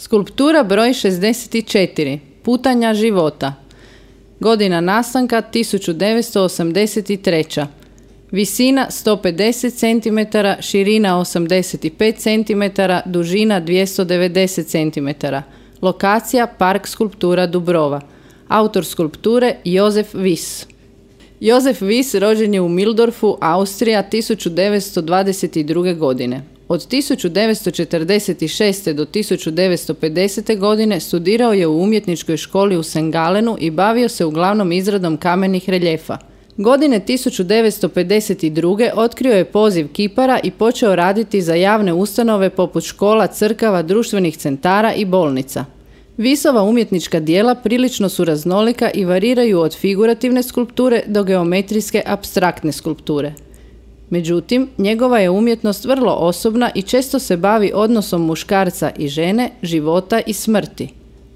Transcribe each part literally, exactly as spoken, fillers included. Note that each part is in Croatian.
Skulptura broj šezdeset četiri. Putanja života. Godina nastanka tisuću devetsto osamdeset treća. Visina sto pedeset centimetara, širina osamdeset pet centimetara, dužina dvjesto devedeset centimetara. Lokacija Park skulptura Dubrova. Autor skulpture Josef Wyss. Josef Wyss rođen je u Mildorfu, Austrija, tisuću devetsto dvadeset druge. godine. Od tisuću devetsto četrdeset šeste. do tisuću devetsto pedesete. godine studirao je u umjetničkoj školi u Saint Gallenu i bavio se uglavnom izradom kamenih reljefa. Godine tisuću devetsto pedeset druge. otkrio je poziv kipara i počeo raditi za javne ustanove poput škola, crkava, društvenih centara i bolnica. Wyssova umjetnička djela prilično su raznolika i variraju od figurativne skulpture do geometrijske apstraktne skulpture. Međutim, njegova je umjetnost vrlo osobna i često se bavi odnosom muškarca i žene, života i smrti.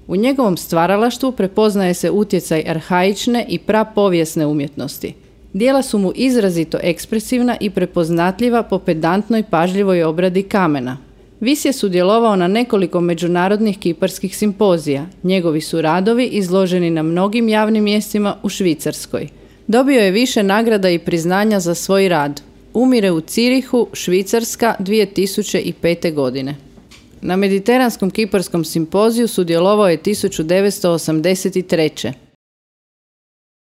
U njegovom stvaralaštvu prepoznaje se utjecaj arhaične i prapovijesne umjetnosti. Djela su mu izrazito ekspresivna i prepoznatljiva po pedantnoj pažljivoj obradi kamena. Wyss je sudjelovao na nekoliko međunarodnih kiparskih simpozija. Njegovi su radovi izloženi na mnogim javnim mjestima u Švicarskoj. Dobio je više nagrada i priznanja za svoj rad. Umire u Cirihu, Švicarska, dvije tisuće pete. godine. Na Mediteranskom kiparskom simpoziju sudjelovao je tisuću devetsto osamdeset treće.